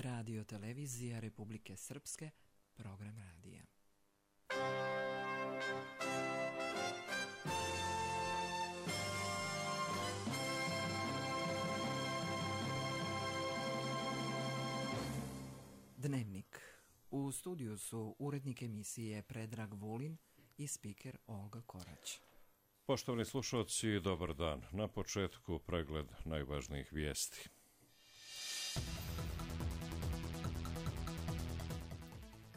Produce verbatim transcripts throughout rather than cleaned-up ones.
Radio Televizija Republike Srpske, program radija. Dnevnik. U studiju su urednik emisije Predrag Vulin i spiker Olga Korać. Poštovani slušalci, dobar dan. Na početku pregled najvažnijih vijesti.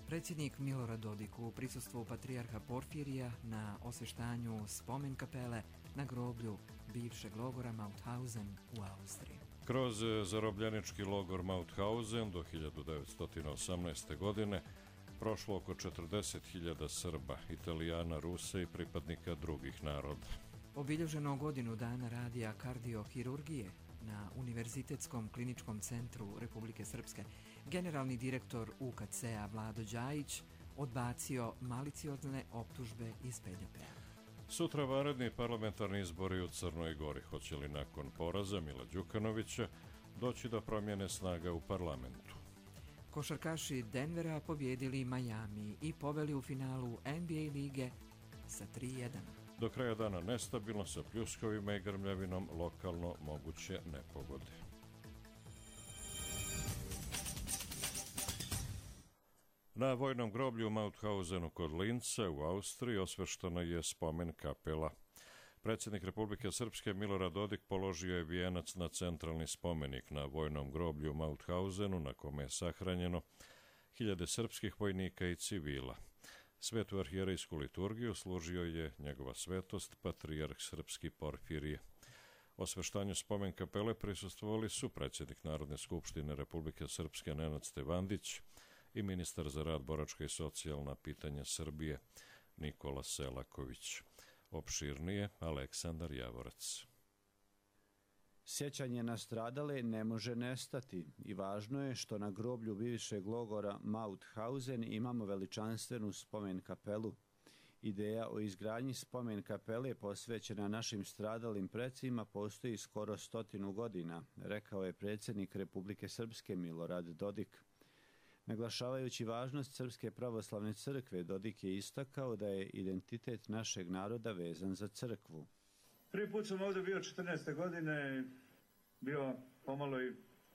Predsjednik Milorad Dodik u prisustvu patrijarha Porfirija na osvještanju spomen kapele na groblju bivšeg logora Mauthausen u Austriji. Kroz zarobljenički logor Mauthausen do hiljadu devetsto osamnaeste. godine prošlo oko četrdeset hiljada Srba, Italijana, Rusa i pripadnika drugih naroda. Obilježeno godinu dana radija kardiohirurgije na Univerzitetskom kliničkom centru Republike Srpske, generalni direktor U K C-a Vlado Đajić odbacio maliciozne optužbe iz P D P-a. Sutra vanredni parlamentarni izbori u Crnoj Gori. Hoće li nakon poraza Mila Đukanovića doći do promjene snaga u parlamentu? Košarkaši Denvera pobjedili Miami i poveli u finalu N B A lige sa tri jedan. Do kraja dana nestabilno sa pljuskovima i grmljavinom, lokalno moguće nepogode. Na vojnom groblju u Mauthausenu kod Linca u Austriji osveštena je spomen kapela. Predsjednik Republike Srpske Milorad Dodik položio je vijenac na centralni spomenik na vojnom groblju u Mauthausenu, na kome je sahranjeno hiljade srpskih vojnika i civila. Svetu arhijerejsku liturgiju služio je njegova svetost, patrijarh srpski Porfirije. Osveštanju spomen kapele prisustvovali su predsjednik Narodne skupštine Republike Srpske Nenad Stevandić i ministar za rad, boračka i socijalna pitanja Srbije Nikola Selaković. Opširnije Aleksandar Javorac. Sjećanje na stradale ne može nestati i važno je što na groblju bivšeg logora Mauthausen imamo veličanstvenu spomen kapelu. Ideja o izgradnji spomen kapele posvećena našim stradalim precima postoji skoro stotinu godina, rekao je predsjednik Republike Srpske Milorad Dodik. Naglašavajući važnost Srpske pravoslavne crkve, Dodik je istakao da je identitet našeg naroda vezan za crkvu. Prvi put sam ovdje bio četrnaeste godine, bio pomalo i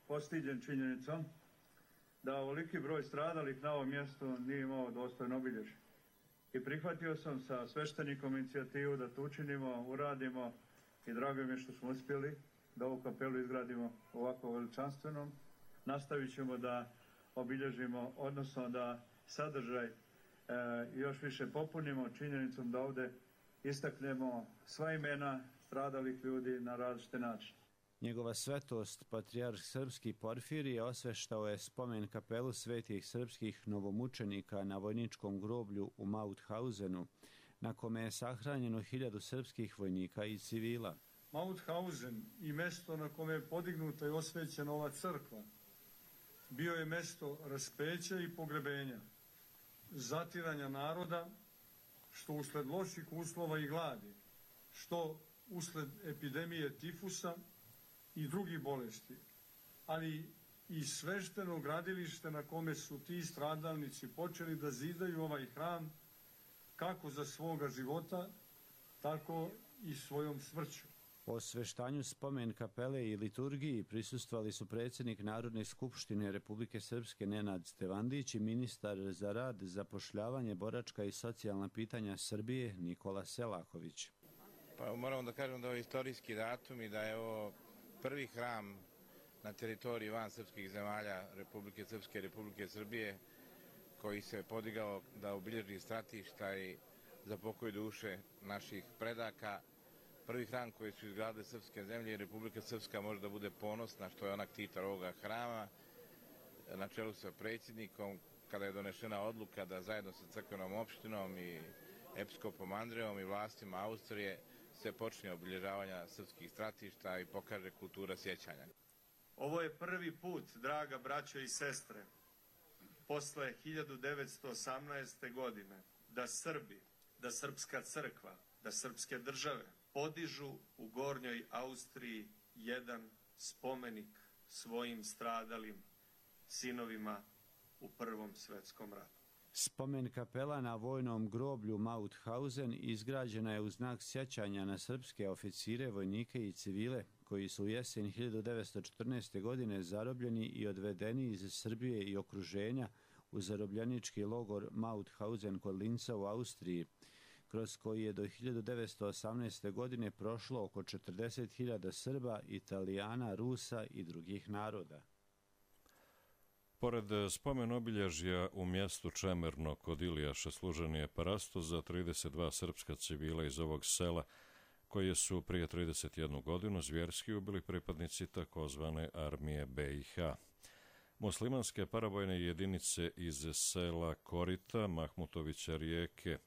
postiđen činjenicom da ovoliki broj stradalih na ovom mjestu nije imao dostojno obilježje. I prihvatio sam sa sveštenikom inicijativu da to učinimo, uradimo i drago mi je što smo uspjeli da ovu kapelu izgradimo ovako veličanstvenom. Nastavit ćemo da obilježimo, odnosno da sadržaj e, još više popunimo činjenicom da ovdje istaknemo sva imena stradalih ljudi na različite načine. Njegova svetost, patrijarh srpski Porfirije, osveštao je spomen kapelu svetih srpskih novomučenika na vojničkom groblju u Mauthausenu, na kome je sahranjeno hiljadu srpskih vojnika i civila. Mauthausen i mjesto na kome je podignuta i osvećena ova crkva bio je mjesto raspeća i pogrebenja, zatiranja naroda, što usled loših uslova i gladi, što usled epidemije tifusa i drugih bolesti, ali i svešteno gradilište na kome su ti stradalnici počeli da zidaju ovaj hram kako za svoga života, tako i svojom smrću. Osveštanju spomen kapele i liturgiji prisustvovali su predsjednik Narodne skupštine Republike Srpske Nenad Stevandić i ministar za rad, zapošljavanje, boračka i socijalna pitanja Srbije Nikola Selaković. Pa moramo da kažem da je ovo istorijski datum i da je ovo prvi hram na teritoriji van srpskih zemalja Republike Srpske i Republike Srbije koji se podigao da obilježi stratišta i za pokoj duše naših predaka. Prvi hram koji su izgradili srpske zemlje i Republika Srpska može da bude ponosna što je onak titar ovoga hrama na čelu sa predsjednikom kada je donešena odluka da zajedno sa crkvenom opštinom i episkopom Andrejom i vlastima Austrije se počne obilježavanja srpskih stratišta i pokaže kultura sjećanja. Ovo je prvi put, draga braćo i sestre, posle hiljadu devetsto osamnaeste. godine, da Srbi, da srpska crkva, da srpske države podižu u Gornjoj Austriji jedan spomenik svojim stradalim sinovima u Prvom svjetskom ratu. Spomen kapela na vojnom groblju Mauthausen izgrađena je u znak sjećanja na srpske oficire, vojnike i civile koji su u jesen hiljadu devetsto četrnaeste. godine zarobljeni i odvedeni iz Srbije i okruženja u zarobljenički logor Mauthausen kod Linca u Austriji, kroz koji je do hiljadu devetsto osamnaeste. godine prošlo oko četrdeset hiljada Srba, Italijana, Rusa i drugih naroda. Pored spomen obilježja u mjestu Čemerno kod Ilijaša služen je parastos za trideset dva srpska civila iz ovog sela, koje su prije trideset jednu godinu zvjerski ubili pripadnici takozvane armije be i ha. Muslimanske paravojne jedinice iz sela Korita, Mahmutovića Rijeke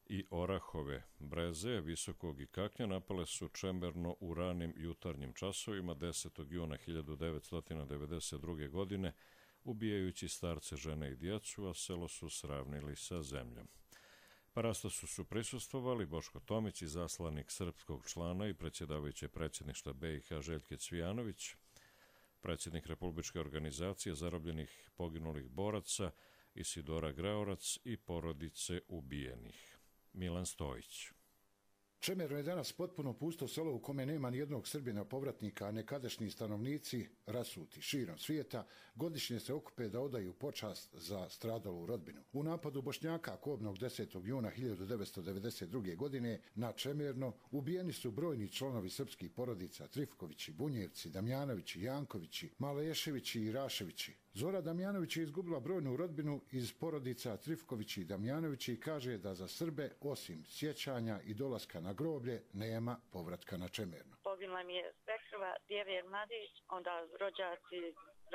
i Orahove, Breze, Visokog i Kaknja napale su Čemerno u ranim jutarnjim časovima desetog juna hiljadu devetsto devedeset druge. godine, ubijajući starce, žene i djecu, a selo su sravnili sa zemljom. Parastosu su prisustvovali Boško Tomić, izaslanik srpskog člana i predsjedavajući predsjedništva be i ha Željke Cvijanović, predsjednik Republičke organizacije zarobljenih poginulih boraca Isidora Graorac i porodice ubijenih. Milan Stojić. Čemerno je danas potpuno pusto selo u kome nema ni jednog Srbina povratnika, a nekadašnji stanovnici, rasuti širom svijeta, godišnje se okupe da odaju počast za stradalu rodbinu. U napadu Bošnjaka kobnog desetog juna hiljadu devetsto devedeset druge. godine na Čemerno ubijeni su brojni članovi srpskih porodica Trifkovići, Bunjevci, Damjanovići, Jankovići, Maleševići i Raševići. Zora Damjanović je izgubila brojnu rodbinu iz porodica Trifkovići i Damjanovići i kaže da za Srbe, osim sjećanja i dolaska na groblje, nema povratka na Čemerno. Poginula mi je svekrva, Djevjer Mladić, onda rođaci,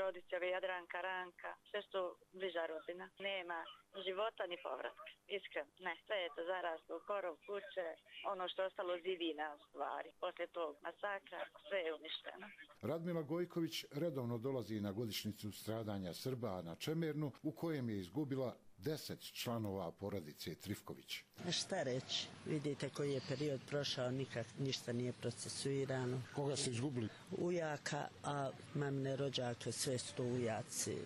rodićeve Jadranka, Ranka, sve su bliža rodbina. Nema života ni povratka, iskreno. Ne, sve je to zaraslo u korov, kuće, ono što je ostalo zidina u stvari. Poslije tog masakra sve je uništeno. Radmila Gojković redovno dolazi na godišnjicu stradanja Srba na Čemernu, u kojem je izgubila deset članova porodice Trifković. Šta reći? Vidite koji je period prošao, nikak ništa nije procesuirano. Koga ste izgubili? Ujaka, a mamine rođake, sve su to ujaci,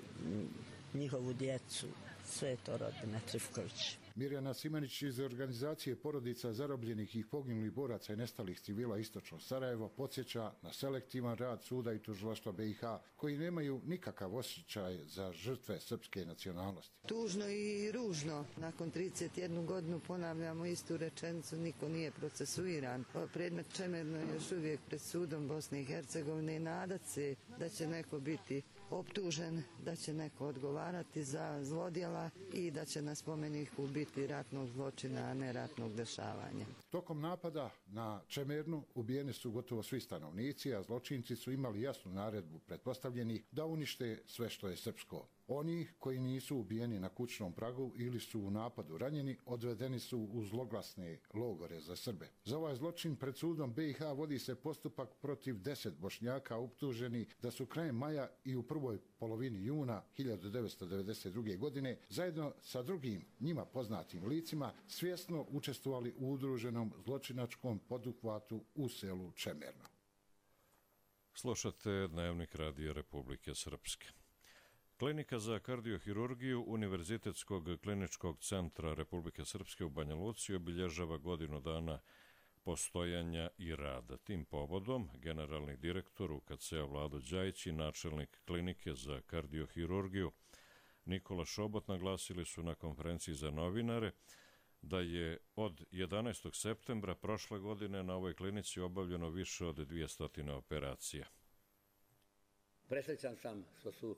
njihovu djecu, sve je to rodbina Trifković. Mirjana Simanić iz organizacije porodica zarobljenih i poginulih boraca i nestalih civila Istočno Sarajevo podsjeća na selektivan rad suda i tužilaštva be i ha, koji nemaju nikakav osjećaj za žrtve srpske nacionalnosti. Tužno i ružno. Nakon trideset jednu godinu ponavljamo istu rečenicu, niko nije procesuiran. Predmet Čemerno je još uvijek pred sudom Bosne i Hercegovine i nadat se da će neko biti optužen, da će neko odgovarati za zlodjela i da će na spomeniku biti ratnog zločina, a ne ratnog dešavanja. Tokom napada na Čemernu ubijeni su gotovo svi stanovnici, a zločinci su imali jasnu naredbu pretpostavljeni da unište sve što je srpsko. Oni koji nisu ubijeni na kućnom pragu ili su u napadu ranjeni, odvedeni su u zloglasne logore za Srbe. Za ovaj zločin pred sudom be i ha vodi se postupak protiv deset Bošnjaka optuženi da su krajem maja i u prvoj polovini juna hiljadu devetsto devedeset druge. godine zajedno sa drugim njima poznatim licima svjesno učestvovali u udruženom zločinačkom poduhvatu u selu Čemerno. Slušate Dnevnik Radija Republike Srpske. Klinika za kardiohirurgiju Univerzitetskog kliničkog centra Republike Srpske u Banja Luci obilježava godinu dana postojanja i rada. Tim povodom generalni direktor u ka ce a Vlado Đajić i načelnik klinike za kardiohirurgiju Nikola Šobot naglasili su na konferenciji za novinare da je od jedanaestog septembra prošle godine na ovoj klinici obavljeno više od dvjesto operacija. Presrećan sam što su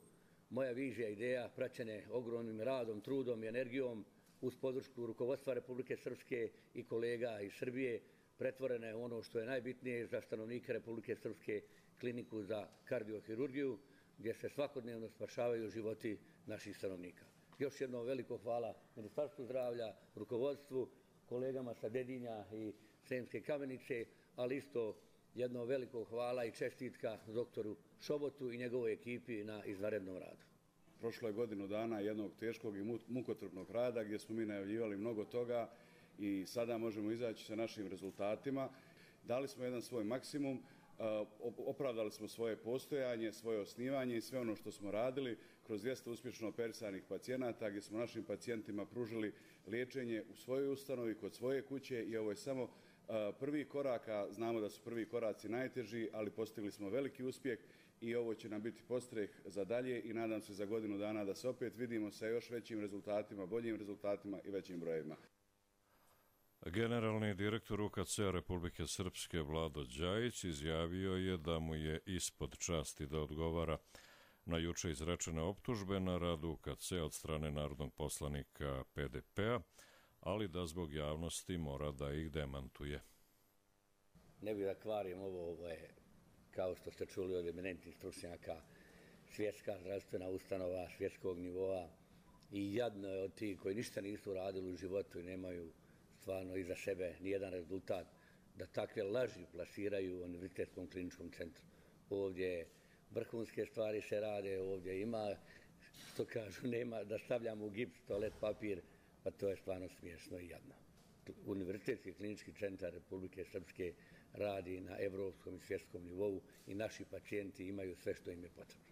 moja vizija i ideja praćene ogromnim radom, trudom i energijom uz podršku rukovodstva Republike Srpske i kolega iz Srbije pretvorene u ono što je najbitnije za stanovnike Republike Srpske, kliniku za kardiohirurgiju, gdje se svakodnevno spašavaju životi naših stanovnika. Još jedno veliko hvala Ministarstvu zdravlja, rukovodstvu, kolegama sa Dedinja i Sremske Kamenice, ali isto jedno veliko hvala i čestitka doktoru Šobotu i njegovoj ekipi na izvanrednom radu. Prošlo je godinu dana jednog teškog i mukotrpnog rada gdje smo mi najavljivali mnogo toga i sada možemo izaći sa našim rezultatima. Dali smo jedan svoj maksimum, opravdali smo svoje postojanje, svoje osnivanje i sve ono što smo radili kroz dvjesto uspješno operisanih pacijenata gdje smo našim pacijentima pružili liječenje u svojoj ustanovi, kod svoje kuće i ovo je samo prvi korak, a znamo da su prvi koraci najteži, ali postigli smo veliki uspjeh i ovo će nam biti podstreh za dalje i nadam se za godinu dana da se opet vidimo sa još većim rezultatima, boljim rezultatima i većim brojevima. Generalni direktor U K C-a Republike Srpske Vlado Đajić izjavio je da mu je ispod časti da odgovara na juče izrečene optužbe na rad U K C od strane narodnog poslanika P D P-a, ali da zbog javnosti mora da ih demantuje. Ne bih da kvarim ovo, ovo je, kao što ste čuli od eminentnih stručnjaka, svjetska zdravstvena ustanova svjetskog nivoa i jadno je od tih koji ništa nisu radili u životu i nemaju stvarno iza sebe nijedan rezultat, da takve laži plasiraju u Univerzitetskom kliničkom centru. Ovdje vrhunske stvari se rade, ovdje ima, što kažu, nema da stavljamo u gips, toalet papir, pa to je stvarno smiješno i jadno. Univerzitetski klinički centar Republike Srpske radi na evropskom i svjetskom nivou i naši pacijenti imaju sve što im je potrebno.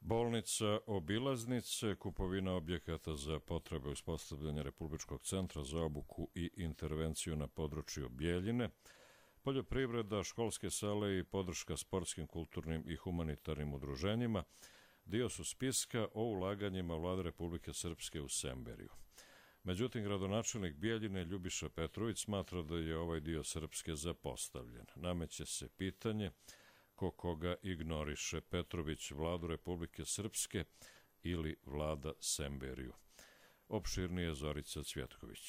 Bolnica Obilaznice, kupovina objekata za potrebe uspostavljanja Republičkog centra za obuku i intervenciju na području Bijeljine, poljoprivreda, školske sale i podrška sportskim, kulturnim i humanitarnim udruženjima dio su spiska o ulaganjima Vlade Republike Srpske u Semberiju. Međutim, gradonačelnik Bijeljine Ljubiša Petrović smatra da je ovaj dio Srpske zapostavljen. Nameće se pitanje ko koga ignoriše, Petrović Vladu Republike Srpske ili Vlada Semberiju. Opširnije Zorica Cvjetković.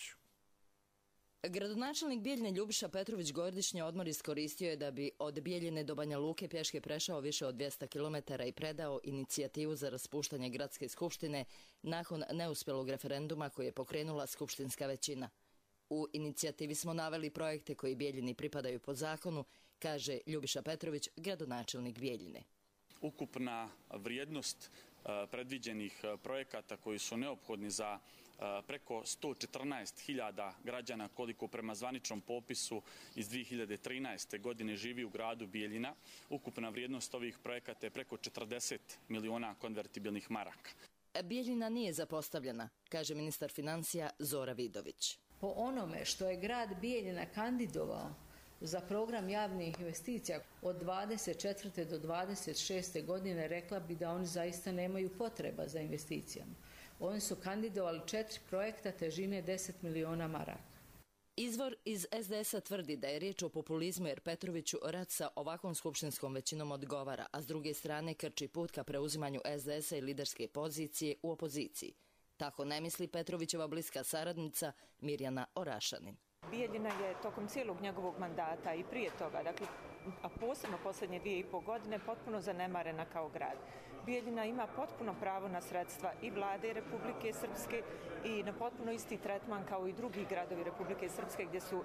Gradonačelnik Bijeljine Ljubiša Petrović godišnji odmor iskoristio je da bi od Bijeljine do Banja Luke pješke prešao više od dvjesto kilometara i predao inicijativu za raspuštanje gradske skupštine nakon neuspjelog referenduma koji je pokrenula skupštinska većina. U inicijativi smo naveli projekte koji Bijeljini pripadaju po zakonu, kaže Ljubiša Petrović, gradonačelnik Bijeljine. Ukupna vrijednost predviđenih projekata koji su neophodni za preko sto četrnaest hiljada građana koliko prema zvaničnom popisu iz dvije hiljade trinaeste. godine živi u gradu Bijeljina. Ukupna vrijednost ovih projekata je preko četrdeset miliona konvertibilnih maraka. Bijeljina nije zapostavljena, kaže ministar financija Zora Vidović. Po onome što je grad Bijeljina kandidovao za program javnih investicija od dvadeset četvrte do dvadeset šeste. godine, rekla bi da oni zaista nemaju potreba za investicijama. Oni su kandidovali četiri projekta težine deset miliona maraka. Izvor iz S D S-a tvrdi da je riječ o populizmu jer Petroviću rad sa ovakvom skupštinskom većinom odgovara, a s druge strane krči put ka preuzimanju S D S-a i liderske pozicije u opoziciji. Tako ne misli Petrovićeva bliska saradnica Mirjana Orašanin. Bijeljina je tokom cijelog njegovog mandata i prije toga, dakle, a posebno posljednje dvije i pol godine, potpuno zanemarena kao grad. Bijeljina ima potpuno pravo na sredstva i vlade Republike Srpske i na potpuno isti tretman kao i drugi gradovi Republike Srpske gdje su e,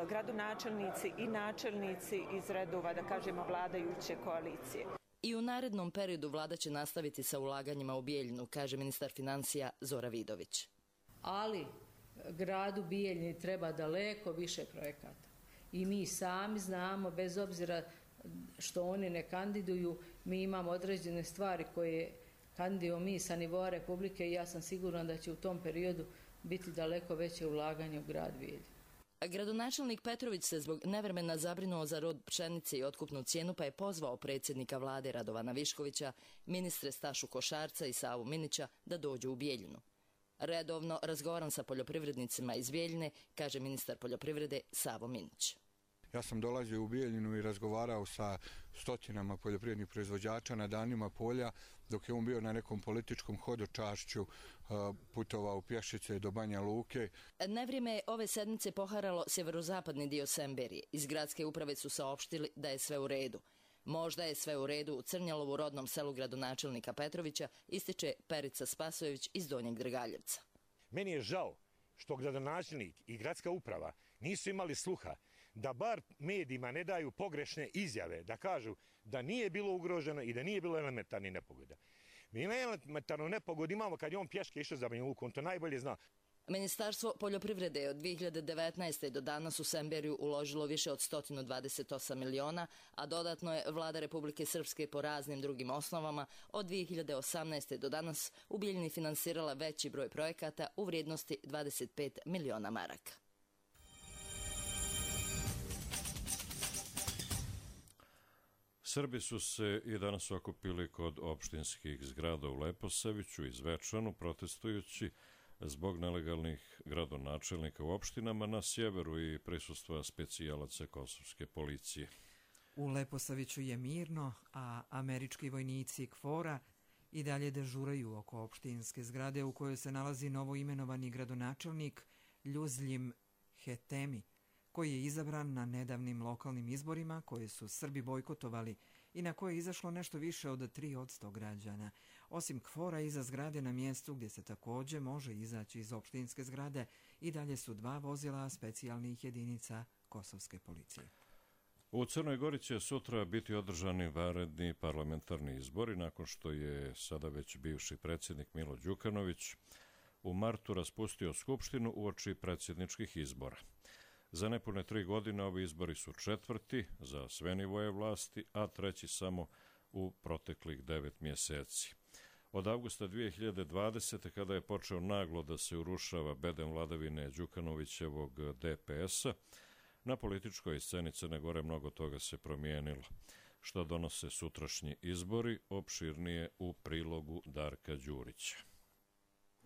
gradonačelnici i načelnici iz redova, da kažemo, vladajuće koalicije. I u narednom periodu vlada će nastaviti sa ulaganjima u Bijeljinu, kaže ministar financija Zora Vidović. Ali gradu Bijeljini treba daleko više projekata. I mi sami znamo, bez obzira što oni ne kandiduju, mi imamo određene stvari koje kandidujemo mi sa nivoa Republike i ja sam sigurna da će u tom periodu biti daleko veće ulaganje u grad Bijeljinu. Gradonačelnik Petrović se zbog nevremena zabrinuo za rod pšenice i otkupnu cijenu, pa je pozvao predsjednika vlade Radovana Viškovića, ministre Stašu Košarca i Savu Minića da dođu u Bijeljinu. Redovno razgovaram sa poljoprivrednicima iz Bijeljine, kaže ministar poljoprivrede Savo Minić. Ja sam dolazio u Bijeljinu i razgovarao sa stotinama poljoprivrednih proizvođača na danima polja, dok je on bio na nekom političkom hodočašću, putovao pješice do Banja Luke. Nevrijeme je ove sedmice poharalo sjeverozapadni dio Semberije. Iz gradske uprave su saopštili da je sve u redu. Možda je sve u redu u Crnjalovu, rodnom selu gradonačelnika Petrovića, ističe Perica Spasojević iz Donjeg Drgaljevca. Meni je žao što gradonačelnik i gradska uprava nisu imali sluha da bar medijima ne daju pogrešne izjave, da kažu da nije bilo ugroženo i da nije bilo elementarnih nepogoda. Mi elementarnu nepogodu imamo kad je on pješke išao za Banja Luku, on to najbolje zna. Ministarstvo poljoprivrede je od dvije hiljade devetnaeste. do danas u Semberiju uložilo više od sto dvadeset osam miliona, a dodatno je Vlada Republike Srpske po raznim drugim osnovama od dvije hiljade osamnaeste. do danas u Bijeljini finansirala veći broj projekata u vrijednosti dvadeset pet miliona maraka. Srbi su se i danas okupili kod opštinskih zgrada u Leposaviću i Zvečanu, protestujući zbog nelegalnih gradonačelnika u opštinama na sjeveru i prisustva specijalaca kosovske policije. U Leposaviću je mirno, a američki vojnici KFOR-a i dalje dežuraju oko opštinske zgrade u kojoj se nalazi novoimenovani gradonačelnik Ljuzljim Hetemi, koji je izabran na nedavnim lokalnim izborima koje su Srbi bojkotovali i na koje je izašlo nešto više od tri posto građana. Osim KFOR-a iza zgrade na mjestu gdje se također može izaći iz opštinske zgrade i dalje su dva vozila specijalnih jedinica kosovske policije. U Crnoj Gori će sutra biti održani vanredni parlamentarni izbori nakon što je sada već bivši predsjednik Milo Đukanović u martu raspustio skupštinu uoči predsjedničkih izbora. Za nepune tri godine ovi izbori su četvrti za sve nivoje vlasti, a treći samo u proteklih devet mjeseci. Od avgusta dvije hiljade dvadesete. kada je počeo naglo da se urušava bedem vladavine Đukanovićevog D P S-a, na političkoj sceni Crne Gore mnogo toga se promijenilo. Što donose sutrašnji izbori, opširnije u prilogu Darka Đurića.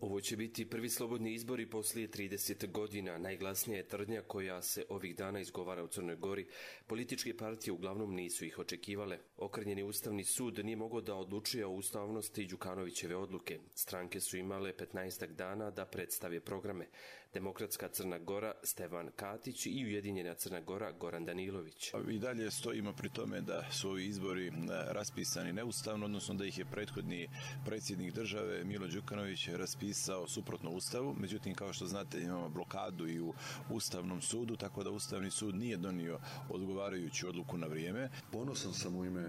Ovo će biti prvi slobodni izbori poslije trideset godina. Najglasnija je tvrdnja koja se ovih dana izgovara u Crnoj Gori. Političke partije uglavnom nisu ih očekivale. Okrnjeni Ustavni sud nije mogao da odlučuje o ustavnosti Đukanovićeve odluke. Stranke su imale petnaestak dana da predstave programe. Demokratska Crna Gora Stevan Katić i Ujedinjena Crna Gora Goran Danilović. I dalje stojimo pri tome da su ovi izbori raspisani neustavno, odnosno da ih je prethodni predsjednik države Milo Đukanović raspisao suprotno Ustavu. Međutim, kao što znate, imamo blokadu i u Ustavnom sudu, tako da Ustavni sud nije donio odgovarajuću odluku na vrijeme. Ponosan sam u ime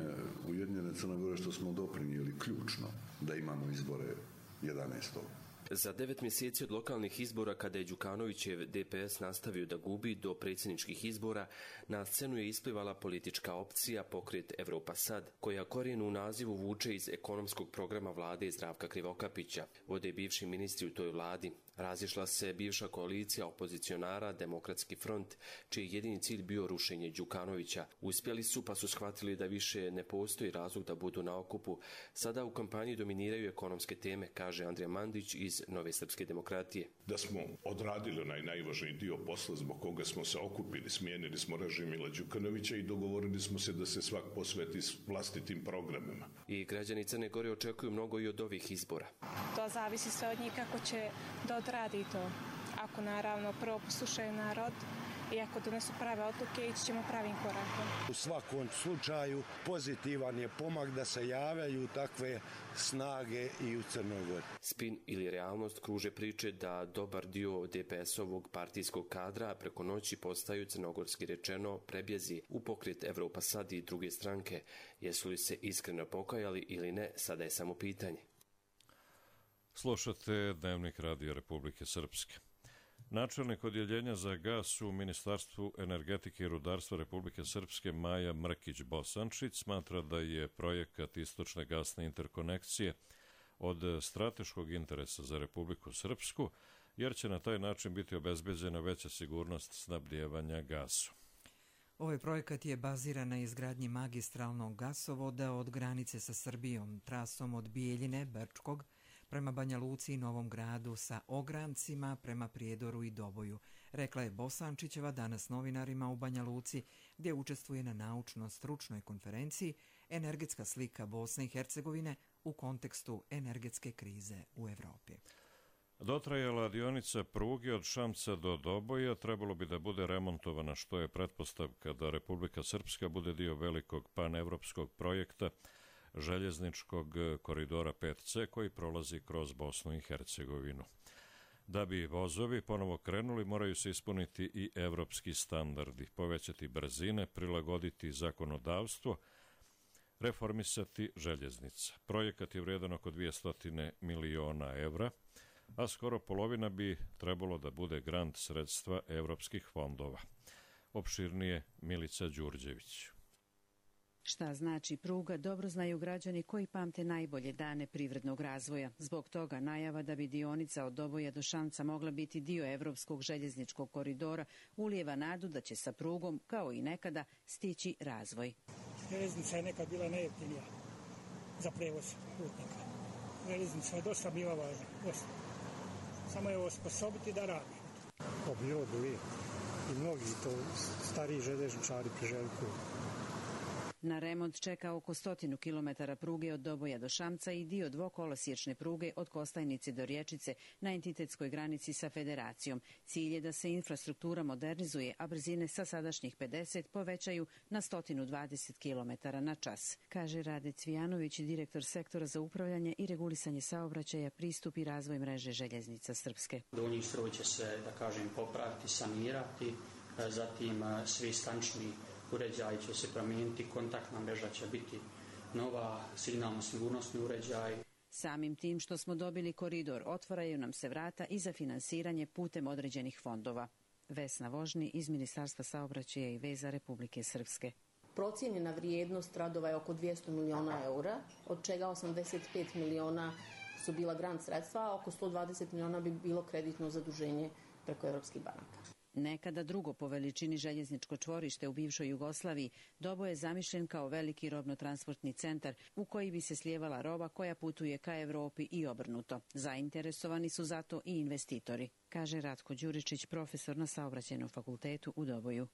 Ujedinjene Crne Gore što smo doprinijeli ključno da imamo izbore jedanaestog Za devet mjeseci od lokalnih izbora, kada je Đukanovićev D P S nastavio da gubi do predsjedničkih izbora, na scenu je isplivala politička opcija Pokret Evropa Sad, koja korijenu u nazivu vuče iz ekonomskog programa vlade Zdravka Krivokapića. Vode bivši ministri u toj vladi. Razišla se bivša koalicija opozicionara Demokratski front, čiji je jedini cilj bio rušenje Đukanovića. Uspjeli su, pa su shvatili da više ne postoji razlog da budu na okupu. Sada u kampanji dominiraju ekonomske teme, kaže Andrija Mandić iz Nove srpske demokratije. Da smo odradili onaj najvažniji dio posla zbog koga smo se okupili, smijenili smo režim Mila Đukanovića i dogovorili smo se da se svak posveti s vlastitim programima. I građani Crne Gore očekuju mnogo i od ovih izbora. To zavisi sve od njih kako će da odradi to. Ako naravno prvo poslušaju narod i ako donesu prave odluke, ići ćemo pravim korakom. U svakom slučaju pozitivan je pomak da se javljaju takve snage i u Crnoj Gori. Spin ili realnost kruže priče da dobar dio D P S-ovog partijskog kadra preko noći postaju, crnogorski rečeno, prebjezi u Pokret Evropa Sad i druge stranke. Jesu li se iskreno pokajali ili ne, sada je samo pitanje. Slušate Dnevnik Radio Republike Srpske. Načelnik odjeljenja za gas u Ministarstvu energetike i rudarstva Republike Srpske Maja Mrkić-Bosančić smatra da je projekat istočne gasne interkonekcije od strateškog interesa za Republiku Srpsku, jer će na taj način biti obezbeđena veća sigurnost snabdijevanja gasom. Ovaj projekat je baziran na izgradnji magistralnog gasovoda od granice sa Srbijom, trasom od Bijeljine, Brčkog, prema Banja Luci i Novom Gradu sa ograncima prema Prijedoru i Doboju, rekla je Bosančićeva danas novinarima u Banja Luci, gdje učestvuje na naučno-stručnoj konferenciji Energetska slika Bosne i Hercegovine u kontekstu energetske krize u Evropi. Dotrajala dionica pruge od Šamca do Doboja trebalo bi da bude remontovana, što je pretpostavka da Republika Srpska bude dio velikog panevropskog projekta željezničkog koridora pet C koji prolazi kroz Bosnu i Hercegovinu. Da bi vozovi ponovo krenuli, moraju se ispuniti i evropski standardi, povećati brzine, prilagoditi zakonodavstvo, reformisati željeznica. Projekat je vrijedan oko dvjesto miliona evra. a skoro polovina bi trebalo da bude grant sredstva evropskih fondova. Opširnije Milica Đurđević. Šta znači pruga, dobro znaju građani koji pamte najbolje dane privrednog razvoja. Zbog toga najava da bi dionica od Doboja do Šamca mogla biti dio Evropskog željezničkog koridora ulijeva nadu da će sa prugom, kao i nekada, stići razvoj. Željeznica je nekad bila najjeftinija za prevoz putnika. Željeznica je dosta bila važna, dosta. Samo je osposobiti da radi. To bilo bi uvijek. I mnogi to stariji željezničari priželjkuju. Na remont čeka oko stotinu kilometara pruge od Doboja do Šamca i dio dvokolosječne pruge od Kostajnice do Rječice na entitetskoj granici sa Federacijom. Cilj je da se infrastruktura modernizuje, a brzine sa sadašnjih pedeset povećaju na sto dvadeset kilometara na čas, kaže Rade Cvijanović, direktor sektora za upravljanje i regulisanje saobraćaja, pristup i razvoj mreže željeznica Srpske. Donji stroj će se, da kažem, popraviti, sanirati, zatim svi stanični uređaj će se promijeniti, kontaktna mreža će biti nova, signalno-sigurnosni uređaj. Samim tim što smo dobili koridor, otvaraju nam se vrata i za finansiranje putem određenih fondova. Vesna Vožni iz Ministarstva saobraćaja i veza Republike Srpske. Procijenjena vrijednost radova je oko dvjesto miliona eura, od čega osamdeset pet miliona su bila grant sredstva, a oko sto dvadeset miliona bi bilo kreditno zaduženje preko evropskih banaka. Nekada drugo po veličini željezničko čvorište u bivšoj Jugoslaviji, Doboj je zamišljen kao veliki robno-transportni centar u koji bi se slijevala roba koja putuje ka Evropi i obrnuto. Zainteresovani su zato i investitori, kaže Ratko Đuričić, profesor na Saobraćajnom fakultetu u Doboju.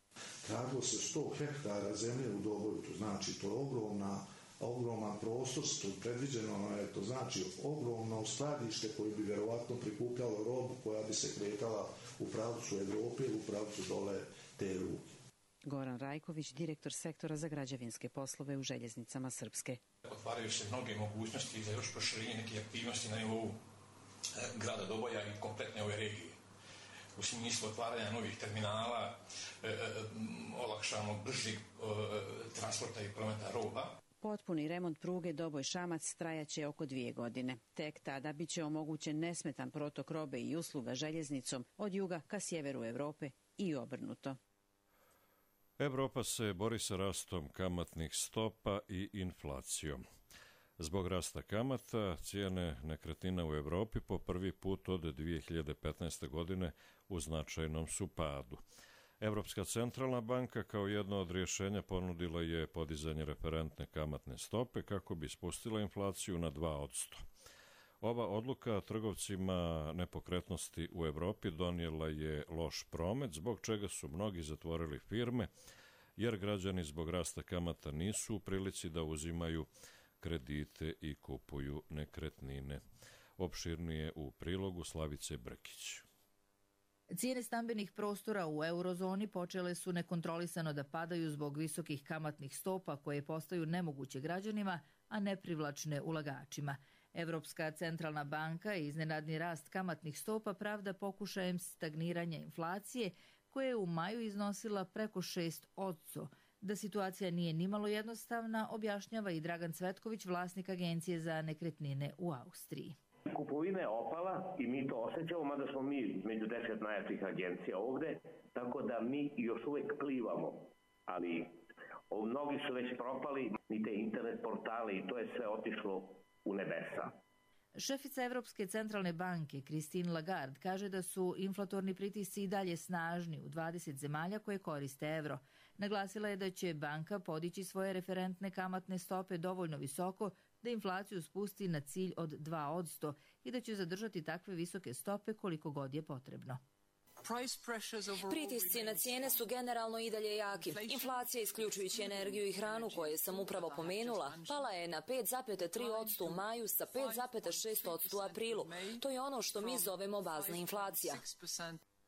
Radilo se sto hektara zemlje u Doboju, to znači to je ogromna ogroman prostor, to predviđeno je, to znači ogromno skladište koje bi vjerovatno prikupljalo robu koja bi se kretala u pravcu Evrope ili u pravcu dole te luke. Goran Rajković, direktor sektora za građevinske poslove u željeznicama Srpske. Otvaraju se mnoge mogućnosti za još proširenje neke aktivnosti na nivou grada Doboja i kompletne ove regije. U smislu otvaranja novih terminala, e, e, olakšamo bržeg transporta i prometa roba. Potpuni remont pruge Doboj-Šamac trajaće oko dvije godine. Tek tada biće omogućen nesmetan protok robe i usluga željeznicom od juga ka sjeveru Evrope i obrnuto. Evropa se bori sa rastom kamatnih stopa i inflacijom. Zbog rasta kamata, cijene nekretnina u Evropi po prvi put od dvije hiljade petnaeste. godine u značajnom su padu. Evropska centralna banka kao jedno od rješenja ponudila je podizanje referentne kamatne stope kako bi spustila inflaciju na dva posto. Ova odluka trgovcima nepokretnosti u Evropi donijela je loš promet, zbog čega su mnogi zatvorili firme, jer građani zbog rasta kamata nisu u prilici da uzimaju kredite i kupuju nekretnine. Opširnije u prilogu Slavice Brkić. Cijene stambenih prostora u eurozoni počele su nekontrolisano da padaju zbog visokih kamatnih stopa koje postaju nemoguće građanima, a neprivlačne ulagačima. Evropska centralna banka iznenadni rast kamatnih stopa pravda pokušajem stagniranja inflacije, koja je u maju iznosila preko šest posto. Da situacija nije nimalo jednostavna, objašnjava i Dragan Cvetković, vlasnik agencije za nekretnine u Austriji. Kupovina je opala i mi to osjećamo, mada smo mi među deset najjačih agencija ovde, tako da mi još uvijek plivamo, ali mnogi su već propali, ni te internet portale i to je sve otišlo u nebesa. Šefica Evropske centralne banke Christine Lagarde kaže da su inflatorni pritisci i dalje snažni u dvadeset zemalja koje koriste evro. Naglasila je da će banka podići svoje referentne kamatne stope dovoljno visoko da inflaciju spusti na cilj od dva posto i da će zadržati takve visoke stope koliko god je potrebno. Pritisci na cijene su generalno i dalje jaki. Inflacija, isključujući energiju i hranu koje sam upravo pomenula, pala je na pet zarez tri posto u maju sa pet zarez šest posto u aprilu. To je ono što mi zovemo bazna inflacija.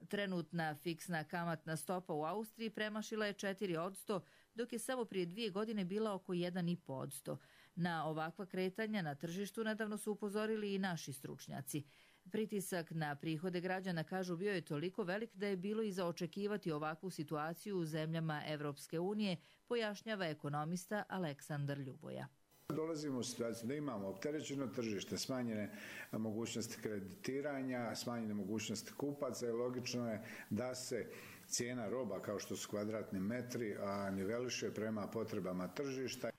Trenutna fiksna kamatna stopa u Austriji premašila je četiri posto, dok je samo prije dvije godine bila oko jedan zarez pet posto. Na ovakva kretanja na tržištu nedavno su upozorili i naši stručnjaci. Pritisak na prihode građana, kažu, bio je toliko velik da je bilo i za očekivati ovakvu situaciju u zemljama Evropske unije, pojašnjava ekonomista Aleksandar Ljuboja. dolazimo u situaciju da imamo opterećeno tržište, smanjene mogućnosti kreditiranja, smanjene mogućnosti kupaca i logično je da se cijena roba kao što su kvadratni metri niveliše prema potrebama tržišta.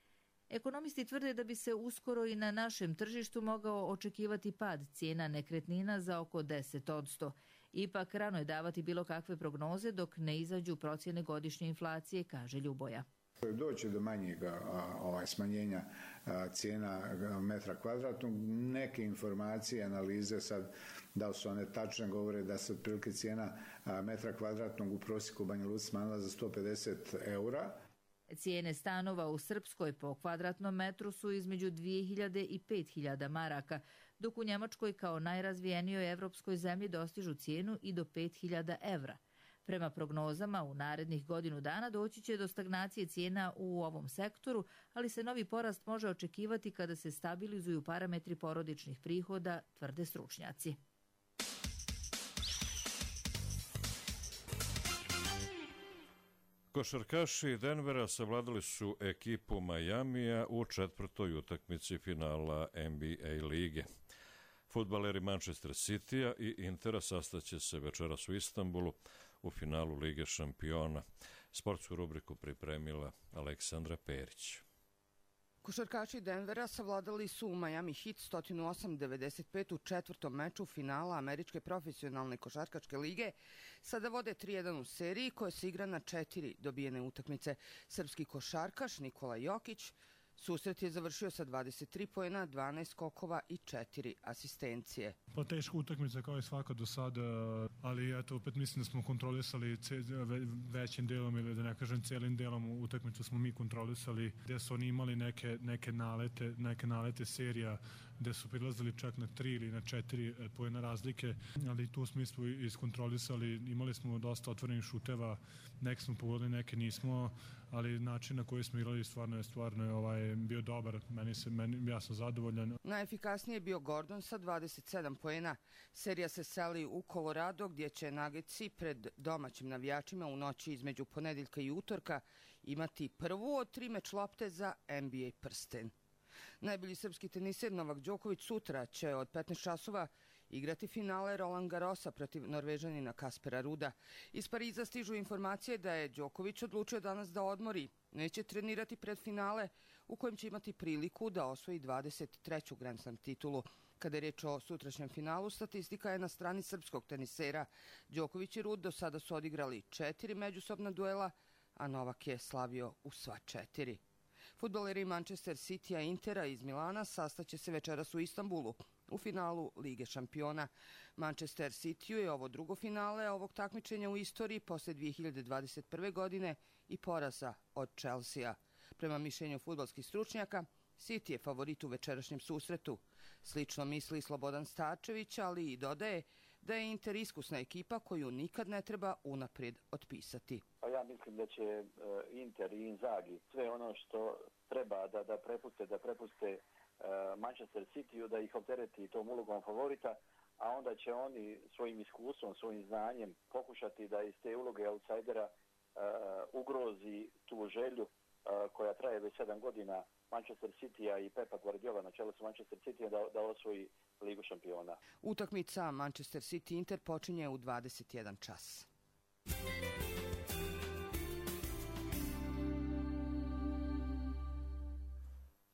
Ekonomisti tvrde da bi se uskoro i na našem tržištu mogao očekivati pad cijena nekretnina za oko deset odsto. Ipak rano je davati bilo kakve prognoze dok ne izađu procjene godišnje inflacije, kaže Ljuboja. Doći do manjeg ovaj, smanjenja a, cijena metra kvadratnog. Neke informacije, analize sad, da li su one tačne, govore da se otprilike cijena a, metra kvadratnog u prosjeku u Banja Luci smanjila za sto pedeset eura. Cijene stanova u Srpskoj po kvadratnom metru su između dvije hiljade i pet hiljada maraka, dok u Njemačkoj kao najrazvijenijoj evropskoj zemlji dostižu cijenu i do pet hiljada evra. Prema prognozama, u narednih godinu dana doći će do stagnacije cijena u ovom sektoru, ali se novi porast može očekivati kada se stabilizuju parametri porodičnih prihoda, tvrde stručnjaci. Košarkaši Denvera savladali su ekipu Majamija u četvrtoj utakmici finala N B A lige. Fudbaleri Manchester Citya i Intera sastaće se večeras u Istanbulu u finalu Lige šampiona. Sportsku rubriku pripremila Aleksandra Perić. Košarkaši Denvera savladali su Miami Heat sto osam devedeset pet u četvrtom meču finala Američke profesionalne košarkaške lige. Sada vode tri jedan u seriji koja se igra na četiri dobijene utakmice. Srpski košarkaš Nikola Jokić susret je završio sa dvadeset tri poena, dvanaest skokova i četiri asistencije. Pa teška utakmica kao i svaka do sada, ali eto, opet mislim da smo kontrolisali većim delom ili da ne kažem celim delom utakmicu smo mi kontrolisali, gde su oni imali neke, neke, nalete, neke nalete serija gde su prilazili čak na tri ili na četiri poena razlike, ali tu smo isto iskontrolisali, imali smo dosta otvorenih šuteva, neke smo pogodili, neke nismo, ali način na koji smo igrali stvarno je stvarno je ovaj, bio dobar, meni se, meni, ja sam zadovoljan. Najefikasnije je bio Gordon sa dvadeset sedam poena. Serija se seli u Colorado gdje će Nuggetsi pred domaćim navijačima u noći između ponedeljka i utorka imati prvu od tri meč lopte za N B A prsten. Najbolji srpski teniser Novak Đoković sutra će od petnaest časova igrati finale Roland Garrosa protiv Norvežanina Kaspera Ruda. Iz Pariza stižu informacije da je Đoković odlučio danas da odmori. Neće trenirati pred finale u kojem će imati priliku da osvoji dvadeset treću Grand Slam titulu. Kada je reč o sutrašnjem finalu, statistika je na strani srpskog tenisera. Đoković i Rud do sada su odigrali četiri međusobna duela, a Novak je slavio u sva četiri. Fudbaleri Manchester Citya i Intera iz Milana sastaće se večeras u Istanbulu u finalu Lige šampiona. Manchester Cityu je ovo drugo finale ovog takmičenja u istoriji posle dvije hiljade dvadeset prve. godine i poraza od Chelsea. Prema mišljenju fudbalskih stručnjaka, City je favorit u večerašnjem susretu. Slično misli Slobodan Starčević, ali i dodaje da je Inter iskusna ekipa koju nikad ne treba unaprijed otpisati. Pa ja mislim da će Inter i Inzaghi sve ono što treba da, da prepuste, da prepuste Manchester Cityu, da ih optereti tom ulogom favorita, a onda će oni svojim iskustvom, svojim znanjem pokušati da iz te uloge outsidera uh, ugrozi tu želju uh, koja traje već sedam godina Manchester Citya i Pepa Guardiola na čelu sa Manchester Citya da, da osvoji Ligu šampiona. Utakmica Manchester City Inter počinje u dvadeset jedan čas.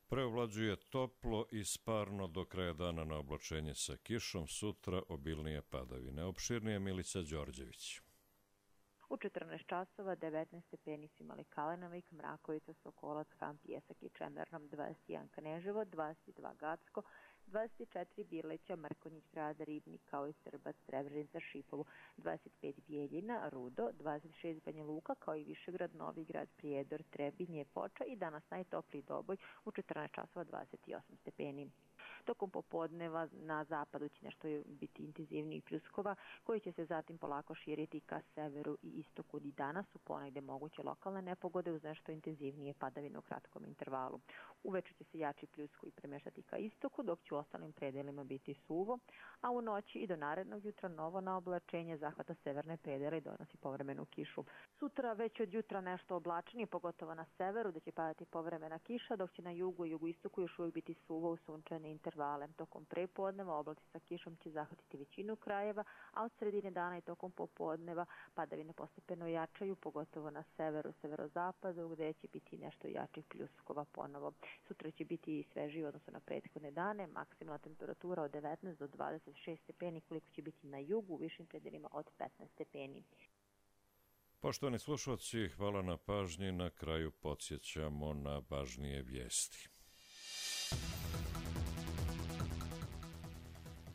Preovlađuje toplo i sparno do kraja dana na oblačenje sa kišom, sutra obilnije padavine. Opširnije Milica Đorđević. U četrnaest časova devetnaest stepeni su imali Kalenovik, Mrakovica, Sokolac, Han, Pjesak i Čemernom, dvadeset jedan Kneževo, dvadeset dva Gacko, dvadeset četiri Birleća, Mrkonjić, Grad Ribnik, kao i Srbac, Srebrenica, Šipovo, dvadeset pet Bijeljina, Rudo, dvadeset šest Banja Luka, kao i Višegrad, Novi Grad, Prijedor, Trebinje, Foča i danas najtopliji Doboj u četrnaest časova dvadeset osam stepeni. Tokom popodneva na zapadu će nešto biti intenzivnijih pljuskova koji će se zatim polako širiti ka severu i istoku. I danas su ponegde moguće lokalne nepogode uz nešto intenzivnije padavine u kratkom intervalu. Uveče će se jači pljuskovi premeštati ka istoku, dok će u ostalim predelima biti suvo, a u noći i do narednog jutra novo naoblačenje zahvata severne predele i donosi povremenu kišu. Sutra već od jutra nešto oblačnije, pogotovo na severu, da će padati povremena kiša, dok će na jugu i jugoistoku još uvijek biti suvo u sunčane intervale. Tokom prepodneva oblaci sa kišom će zahvatiti većinu krajeva, a od sredine dana i tokom popodneva padavine postepeno jačaju, pogotovo na severu, severozapadu, gde će biti nešto jačih pljuskova ponovo. Sutra će biti svežiji u odnosu na prethodne dane, maksimalna temperatura od devetnaest do dvadeset šest stepeni, koliko će biti na jugu, u višim predelima od petnaest stepeni. Poštovani slušalci, hvala na pažnji. Na kraju podsjećamo na važnije vijesti.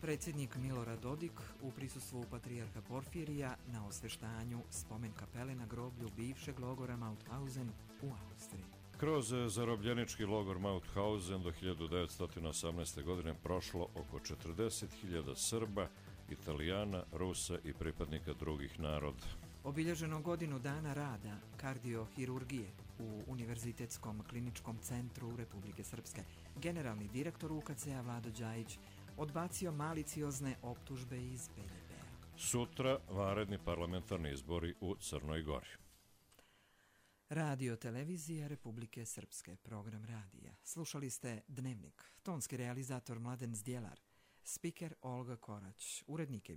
Predsjednik Milorad Dodik u prisustvu patrijarha Porfirija na osveštanju spomen kapele na groblju bivšeg logora Mauthausen u Austriji. Kroz zarobljenički logor Mauthausen do hiljadu devetsto osamnaeste. godine prošlo oko četrdeset hiljada Srba, Italijana, Rusa i pripadnika drugih naroda. Obilježeno godinu dana rada kardiohirurgije u Univerzitetskom kliničkom centru Republike Srpske. Generalni direktor U K C-a Vlado Đajić odbacio maliciozne optužbe iz B D P-a. Sutra vanredni parlamentarni izbori u Crnoj Gori. Radio televizija Republike Srpske, program radija. Slušali ste Dnevnik, tonski realizator Mladen Zdjelar, spiker Olga Korać, urednik